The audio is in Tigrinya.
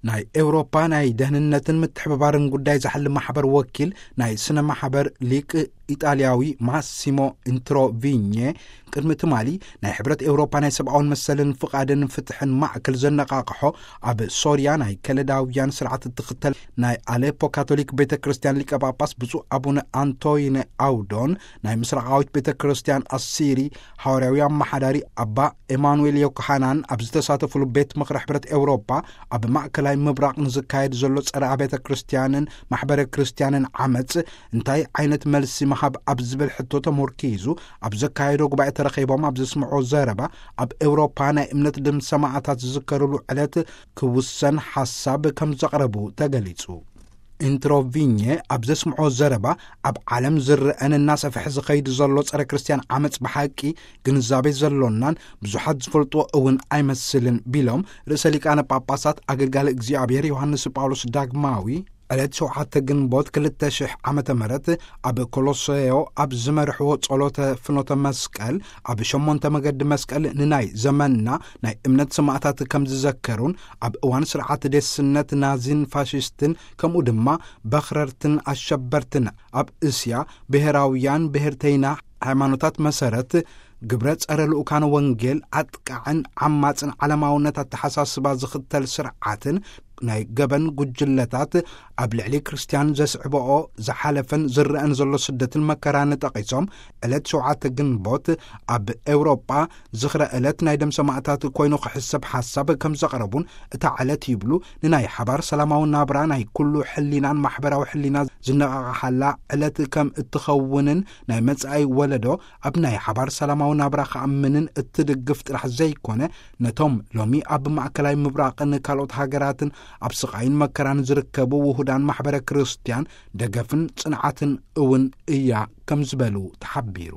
ናይ ኤውሮፓ ናይ ደህንነትን ምትሕብባርን ጉዳይ ዝሓሊ ማሕበር ወኪል ናይ ስነ ማሕበር ሊቅ ኢጣልያዊ ማሲሞ ኢንትሮቪኘ፣ ቅድሚ ትማሊ ናይ ሕብረት ኤውሮፓ ናይ ሰብኣውን መሰልን ፍቓድን ፍትሕን ማዕከል ዘነቓቕሖ፣ ኣብ ሶርያ ናይ ከለዳውያን ስርዓት እትኽተል ናይ ኣሌፖ ካቶሊክ ቤተ ክርስቲያን ሊቀ ጳጳስ ብፁዕ ኣቡነ ኣንቶይነ ኣውዶን፣ ናይ ምስራቃዊት ቤተ ክርስቲያን ኣሲሪ ሃዋርያዊ ኣመሓዳሪ ኣባ ኤማኑኤል ዮኮሃናን ኣብ ዝተሳተፉሉ ቤት ምኽሪ ሕብረት ኤውሮፓ፣ ኣብ ማእከላይ ምብራቕ ንዝካየድ ዘሎ ጸረ ኣብያተ ክርስቲያንን ማሕበረ ክርስቲያንን ዓመጽ እንታይ ዓይነት መልሲ ምሃብ ኣብ ዝብል ሕቶ ተሞርኪዙ ኣብ ዘካየዶ ጉባኤ ተረኺቦም ኣብ ዘስምዖ ዘረባ፣ ኣብ ኤውሮፓ ናይ እምነት ደም ሰማዕታት ዝዝከርሉ ዕለት ክውሰን ሓሳብ ከም ዘቕረቡ ተገሊጹ። ኢንትሮቪኘ ኣብ ዘስምዖ ዘረባ፣ ኣብ ዓለም ዝረአን እናሰፍሐ ዝኸይድ ዘሎ ጸረ ክርስቲያን ዓመጽ ብሓቂ ግንዛቤ ዘሎናን ብዙሓት ዝፈልጥዎ እውን ኣይመስልን ቢሎም፣ ርእሰ ሊቃነ ጳጳሳት ኣገልጋሊ እግዚኣብሔር ዮሃንስ ጳውሎስ ዳግማዊ ዕለት ሸውዓተ ግንቦት ክልተ ሽሕ ዓመተ ምህረት ኣብ ኮሎሴዮ ኣብ ዝመርሕዎ ጸሎተ ፍኖተ መስቀል፣ ኣብ ሸሞንተ መገዲ መስቀል ንናይ ዘመንና ናይ እምነት ሰማዕታት ከም ዝዘከሩን፣ ኣብ እዋን ስርዓት ዴስነት ናዚን ፋሽስትን ከምኡ ድማ በኽረርትን ኣሸበርትን ኣብ እስያ ብሔራውያን ብሔርተይና ሃይማኖታት መሰረት ግብረ ጸረ ልኡካን ወንጌል ኣጥቃዕን ዓማጽን ዓለማውነት ኣተሓሳስባ ዝኽተል ስርዓትን ናይ ገበን ጉጅለታት ኣብ ልዕሊ ክርስቲያን ዘስዕብኦ ዝሓለፈን ዝረአን ዘሎ ስደትን መከራን ጠቒሶም፣ ዕለት ሸውዓተ ግንቦት ኣብ ኤውሮጳ ዝኽረ ዕለት ናይ ደም ሰማዕታት ኮይኑ ክሕሰብ ሓሳብ ከም ዘቕረቡን፣ እታ ዕለት ይብሉ ንናይ ሓባር ሰላማዊ ናብራ ናይ ኩሉ ሕሊናን ማሕበራዊ ሕሊና ዝነቓቕሓላ ዕለት ከም እትኸውንን ናይ መጻኢ ወለዶ ኣብ ናይ ሓባር ሰላማዊ ናብራ ክኣምንን እትድግፍ ጥራሕ ዘይኮነ፣ ነቶም ሎሚ ኣብ ማእከላይ ምብራቕን ካልኦት ሃገራትን ኣብ ስቓይን መከራን ዝርከቡ ውሁዳን ማሕበረ ክርስቲያን ደገፍን ጽንዓትን እውን እያ ከም ዝበሉ ተሓቢሩ።